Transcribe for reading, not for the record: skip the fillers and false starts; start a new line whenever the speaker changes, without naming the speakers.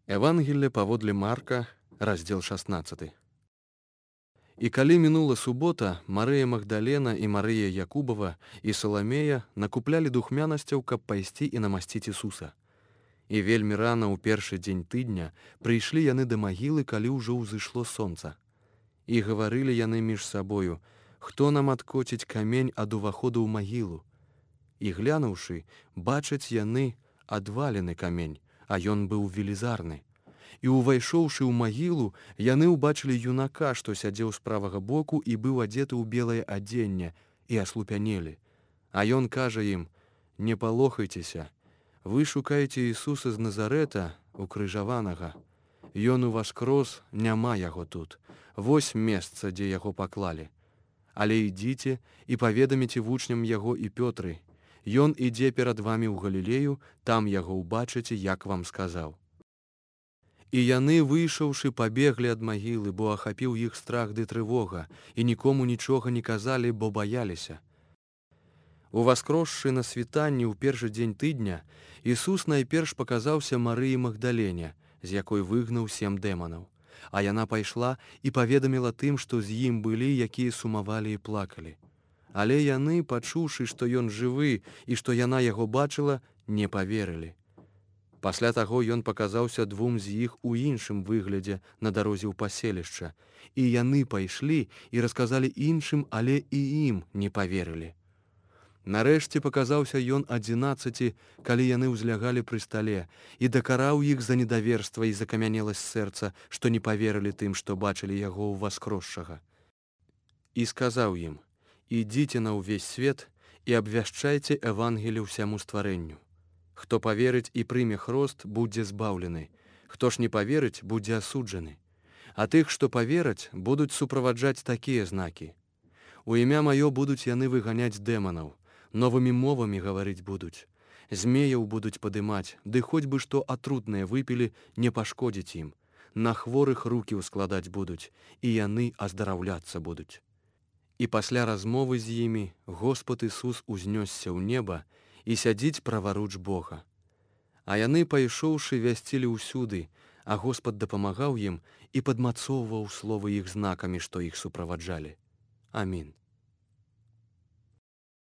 Евангелие паводле Марка, раздел 16. І калі мінула субота, Марыя Магдалена і Марыя Якубова і Саламея накуплялі духмянасцяў, каб пайсці і намасціць Ісуса. І вельмі рана ў першы дзень тыдня прыйшлі яны да магілы, калі ўжо ўзышло сонца. І гаварылі яны між сабою: «Хто нам адкоціць камень ад уваходу ў магілу?» І глянуўшы, бачаць яны адвалены камень, а ён быў велізарны. І увайшоўшы ў магілу, яны ўбачылі юнака, што сядзеў з правага боку і быў адзеты ў белае адзенне, і аслупянелі. А ён кажа ім: «Не палохайцеся, вы шукаеце Ісуса з Назарэта, укрыжаванага. Ён уваскрос, няма яго тут. Вось месца, дзе яго паклалі. Але ідзіце і паведаміце вучням яго і Пётры. Ён ідзе перад вамі ў Галілею, там яго ўбачыце, як вам сказаў». І яны, выйшаўшы, пабеглі ад магілы, бо ахапіў іх страх ды трывога, і нікому нічога не казалі, бо баяліся. Уваскросшы на світанні ў першы дзень тыдня, Ісус найперш паказаўся Марыі Магдалене, з якой выгнаў 7 дэманаў. А яна пайшла і паведаміла тым, што з ім былі, якія сумавалі і плакалі. Але яны, пачуўшы, што ён жывы і што яна яго бачыла, не паверылі. Пасля таго ён паказаўся 2 з іх у іншым выглядзе на дарозе ў паселішча, і яны пайшлі і расказалі іншым, але і ім не паверылі. Нарэшце паказаўся ён 11, калі яны ўзлягалі пры стале, і дакараў іх за недаверства і закамянеласць сэрца, што не паверылі тым, што бачылі яго ўваскросшага. І сказаў ім: «Ідзіце на ўвесь свет і абвяшчайце Евангелие ўсяму стварэнню. Хто паверыць і прыме хрост, будзе збаўлены. Хто ж не паверыць, будзе асуджаны. А тых, што павераць, будуць суправаджаць такія знакі. У імя маё будуць яны выганяць дэманаў, новымі мовамі гаварыць будуць, змеяў будуць падымаць, ды хоць бы што атрутнае выпілі, не пашкодзіць ім. На хворых рукі ўскладаць будуць, і яны аздараўляцца будуць». І пасля размовы з імі Господ Ісус узнёсся ў неба і сядзіць праваруч Бога. А яны, пайшоўшы, вясцілі ўсюды, а Господ дапамагаў ім і падмацоўваў словы іх знакамі, што іх суправаджалі. Амінь.